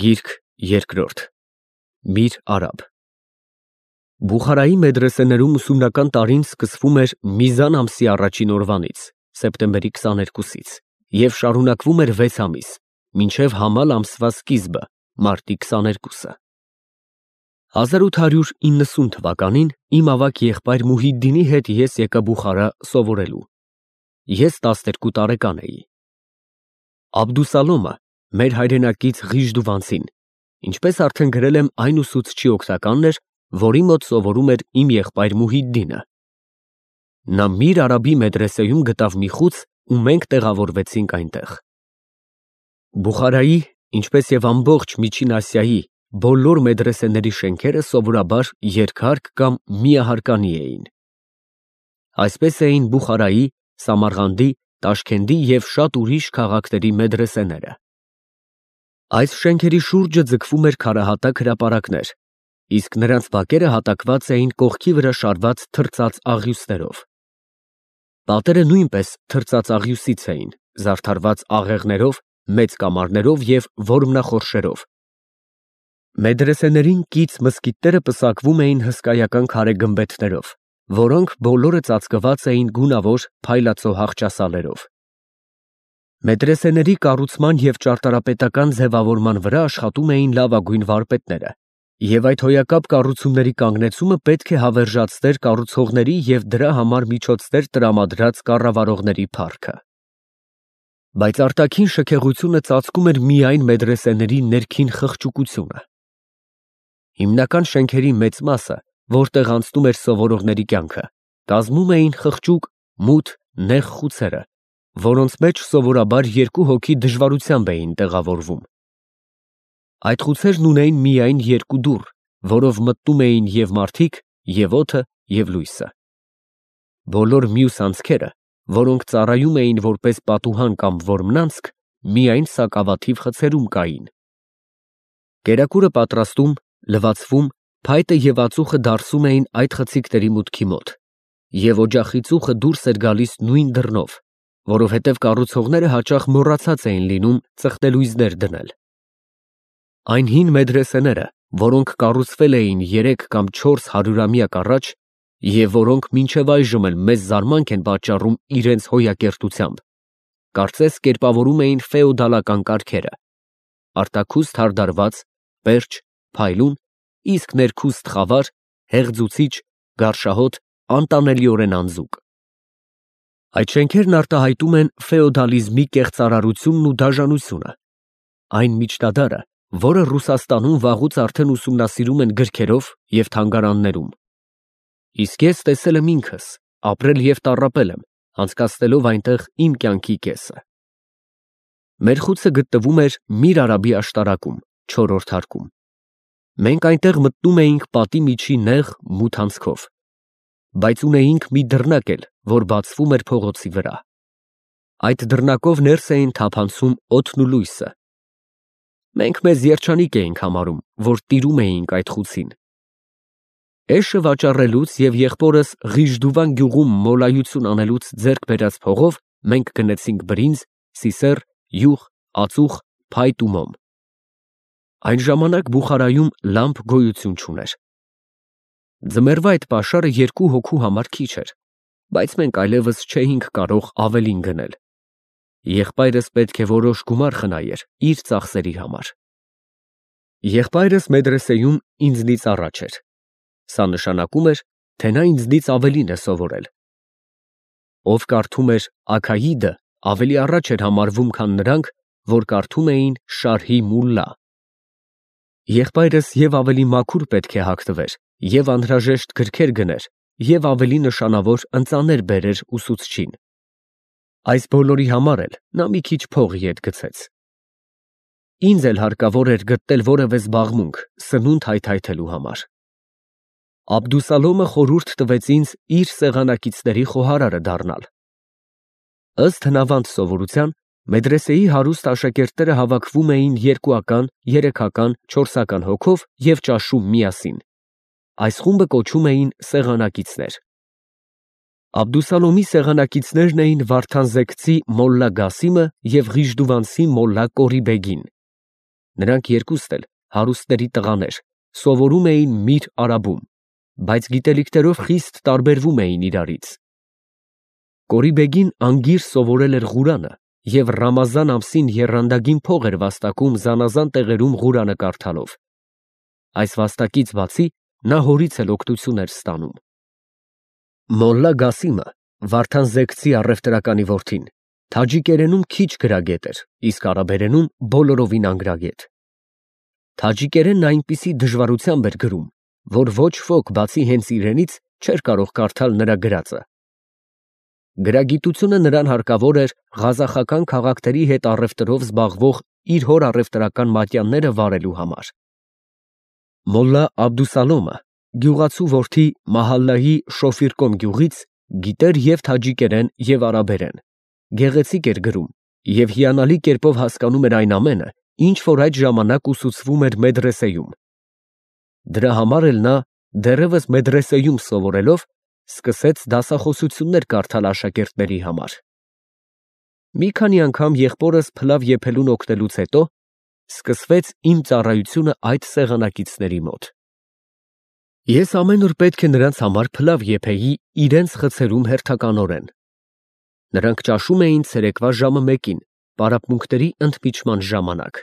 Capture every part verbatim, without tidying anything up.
Գիրք երկրորդ Միր Արաբ Բուխարայի մեդրեսեներում ուսումնական տարին սկսվում էր Միզան ամսի առաջին օրվանից, սեպտեմբերի քսաներկուսից, և շարունակվում էր վեց ամիս, մինչև Համալ ամսվա սկիզբը, մարտի քսաներկուսը։ հազար ութ հարյուր իննսուն թվականին իմ ավագ եղբայր Մուհիդդինի հետ ես եկա Բուխարա սովորելու։ Ես տասներկու տարեկան էի։ Աբդուսալոմը, մեր հայրենակից Ղիժդուվանցին, ինչպես արդեն գրել եմ, այն ուսուցչի օգնականն էր, որի մոտ սովորում էր իմ եղբայր Մուհիդդինը։ Նա Միր Արաբի մեդրեսեում գտավ մի խուց ու մենք տեղավորվեցինք այնտեղ։ Բուխարայի, ինչպես և ամբողջ Միջին Ասիայի բոլոր մեդրեսեների շենքերը սովորաբար երկհարկ կամ միահարկանի էին։ Այսպես էին Բուխարայի, Սամարղանդի, Տաշքենդի և շատ ուրիշ քաղաքների մեդրեսեները։ Այս շենքերի շուրջը ձգվում էր քարահատակ հրապարակներ, իսկ նրանց բակերը հատակված էին կողքի վրա շարված թրծած աղյուսներով։ Պատերը նույնպես թրծած աղյուսից էին, զարդարված աղեղներով, մեծ կամարներով և որմնախորշերով։ Մեդրեսեներին կից մզկիթները պսակվում էին հսկայական քարե գմբեթներով, որոնք բոլորը ծածկված էին գունավոր փայլացող աղճասալերով։ Մեդրեսեների կառուցման և ճարտարապետական ձևավորման վրա աշխատում էին լավագույն վարպետները, և այդ հոյակապ կառուցումների կանգնեցումը պետք է հավերժացներ կառուցողների և դրա համար միջոցներ տրամադրած կառավարողների փառքը։ Բայց արտաքին շքեղությունը ծածկում էր միայն մեդրեսեների ներքին խղճուկությունը։ Հիմնական շենքերի մեծ մասը, որտեղ անցնում էր սովորողների կյանքը, կազմում էին խղճուկ, մութ, նեղ խուցերը, որոնց մեջ սովորաբար երկու հոգի դժվարությամբ էին տեղավորվում։ Այդ խուցերն ունեին միայն երկու դուռ, որով մտնում էին և մարդիկ, և օդը, և լույսը։ Բոլոր մյուս անցքերը, որոնք ծառայում էին որպես պատուհան կամ որմնանցք, միայն սակավաթիվ խցերում կային։ Կերակուրը պատրաստում, լվացվում, փայտը և ածուխը դարսում էին այդ խցիկների մուտքի մոտ, և օջախի ծուխը դուրս էր գալիս նույն դռնով, որովհետև կառուցողները հաճախ մոռացած էին լինում ծխնելույզներ դնել։ Այն հին մեդրեսեները, որոնք կառուցվել էին երեք կամ չորս հարյուրամյակ առաջ, և որոնք մինչև այժմ էլ մեծ զարմանք են պատճառում իրենց հոյակերտությամբ, կարծես կերպավորում էին ֆեոդալական կարգերը՝ արտաքուստ հարդարված, պերճ, փայլուն, իսկ ներքուստ խավար, հեղձուցիչ, գարշահոտ, անտանելիորեն անձուկ։ Այդ շենքերն արտահայտում են ֆեոդալիզմի կեղծարարությունն ու դաժանությունը, այն միջնադարը, որը Ռուսաստանում վաղուց արդեն ուսումնասիրում են գրքերով և թանգարաններում։ Իսկ ես տեսել եմ ինքս, ապրել և տառապել եմ, անցկացնելով այնտեղ իմ կյանքի կեսը։ Մեր խուցը գտնվում էր Միր Արաբի աշտարակում, չորրորդ հարկում։ Մենք այնտեղ մտնում էինք պատի միջի նեղ, մութ անցքով, բայց ունեինք մի դռնակ էլ, որ բացվում էր փողոցի վրա։ Այդ դռնակով ներս էին թափանցում օդն ու լույսը։ Մենք մեզ երջանիկ էինք համարում, որ տիրում էինք այդ խուցին։ Էշը վաճառելուց և եղբորս Ղիժդուվան գյուղում մոլայություն անելուց ձեռք բերած փողով մենք գնեցինք բրինձ, սիսեռ, յուղ, ածուխ, փայտ ու մոմ։ Այն ժամանակ Բուխարայում լամպ գոյություն չուներ։ Ձմեռվա այդ պաշարը երկու հոգու համար քիչ էր, բայց մենք այլևս չէինք կարող ավելին գնել։ Եղբայրս պետք է որոշ գումար խնայեր իր ծախսերի համար։ Եղբայրս մեդրեսեում ինձնից առաջ էր։ Սա նշանակում էր, թե նա ինձնից ավելին է սովորել։ Ով կարդում էր Աքայիդը, ավելի առաջ էր համարվում, քան նրանք, որ կարդում էին Շարհի Մուլլա։ Եղբայրս և ավելի մաքուր պետք է հագնվեր, և անհրաժեշտ գրքեր գներ, և ավելի նշանավոր ընծաներ բերեր ուսուցչին։ Այս բոլորի համար էլ նա մի քիչ փող ետ գցեց։ Ինձ էլ հարկավոր էր գտնել որևէ զբաղմունք սնունդ հայթայթելու համար։ Աբդուսալոմը խորհուրդ տվեց ինձ իր սեղանակիցների խոհարարը դառնալ։ Ըստ հնավանդ սովորության, մեդրեսեի հարուստ աշակերտները հավաքվում էին երկուական, երեքական, չորսական հոգով և ճաշում միասին։ Այս խումբը կոչում էին սեղանակիցներ։ Աբդուսալոմի սեղանակիցներն էին Վարդանզեքցի մոլլա Գասիմը և Ղիժդուվանցի մոլլա Կորիբեգին։ Նրանք երկուստ էլ հարուստների տղաներ, սովորում էին Միր Արաբում, բայց գիտելիքներով խիստ տարբերվում էին իրարից։ Կորի֊բեգին անգիր սովորել էր Ղուրանը և Ռամազան ամսին եռանդագին փող էր վաստակում զանազան տեղերում Ղուրանը կարդալով։ Այս վաստակից բացի նա հորից էլ օգնություն էր ստանում։ Մոլլա Գասիմը, Վարդան Զեգցի առևտրականի որդին, թաջիկերենում քիչ գրագետ էր, իսկ արաբերենում բոլորովին անգրագետ։ Թաջիկերենն այնպիսի դժվարությամբ էր գրում, որ ոչ ոք բացի հենց իրենից չէր կարող կարդալ նրա գրածը։ Գրագիտությունը նրան հարկավոր էր ղազախական քաղաքների հետ առևտրով զբաղվող իր հոր առևտրական մատյանները վարելու համար։ Մոլլա Աբդուսալոմը, գյուղացու որդի Մահալլայի Շոֆիրկոմ գյուղից, գիտեր և թաջիկերեն և արաբերեն, գեղեցիկ էր գրում և հիանալի կերպով հասկանում էր այն ամենը, ինչ որ այդ ժամանակ ուսուցվում էր մեդրեսեում։ Դրա համար էլ նա, դեռևս մեդրեսեում սովորելով, սկսեց դասախոսություններ կարդալ աշակերտների համար։ Մի քանի անգամ եղբորս փլավ եփելուն օգնելուց հետո սկսվեց իմ ծառայությունը այդ սեղանակիցների մոտ։ Ես ամեն օր պետք է նրանց համար փլավ եփեի իրենց խցերում հերթականորեն։ Նրանք ճաշում էին ցերեկվա ժամը մեկին, պարապմունքների ընդմիջման ժամանակ։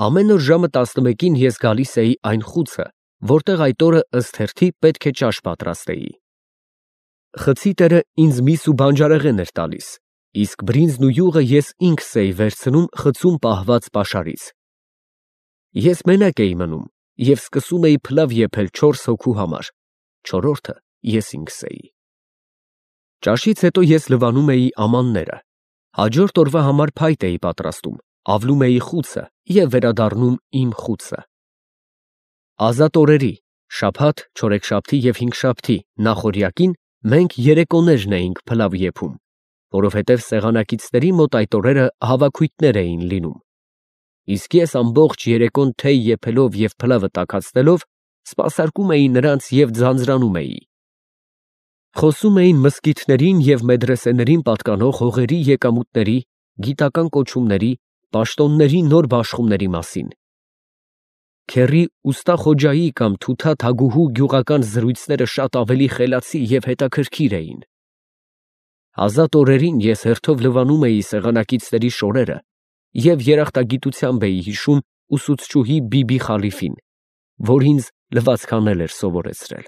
Ամեն օր ժամը տասնմեկին ես գալիս էի այն խուցը, որտեղ այդ օրը ըստ հերթի պետք է ճաշ պատրաստեի։ Խցի տերը ինձ միս ու բանջարեղեն էր տալիս, իսկ բրինձն ու յուղը ես ինքս էի վերցնում խցում պահված պաշարից։ Ես մենակ էի մնում և սկսում էի փլավ եփել չորս հոգու համար, չորրորդը ես ինքս էի։ Ճաշից հետո ես լվանում էի ամանները, հաջորդ օրվա համար փայտ էի պատրաստում, ավլում էի խուցը և վերադառնում իմ խուցը։ Ազատ օրերի, շաբաթ, չորեքշաբթի և հինգշաբթի նախօրյակին մենք երեկոներն էինք փլավ եփում, որովհետև սեղանակիցների մոտ այդ օրերը հավաքույթներ էին լինում, իսկ ես ամբողջ երեկոն թեյ եփելով և փլավը տաքացնելով սպասարկում էի նրանց և ձանձրանում էի։ Խոսում էին մզկիթներին և մեդրեսեներին պատկանող հողերի եկամուտների, գիտական կոչումների, պաշտոնների նոր բաշխումների մասին։ Քեռի ուստա Խոջայի կամ Թութա Թագուհու գյուղական զրույցները շատ ավելի խելացի և հետաքրքիր էին։ Ազատ օրերին ես հերթով լվանում էի սեղանակիցների շորերը և երախտագիտությամբ էի հիշում ուսուցչուհի Բիբի Խալիֆին, որ ինձ լվացք անել էր սովորեցրել։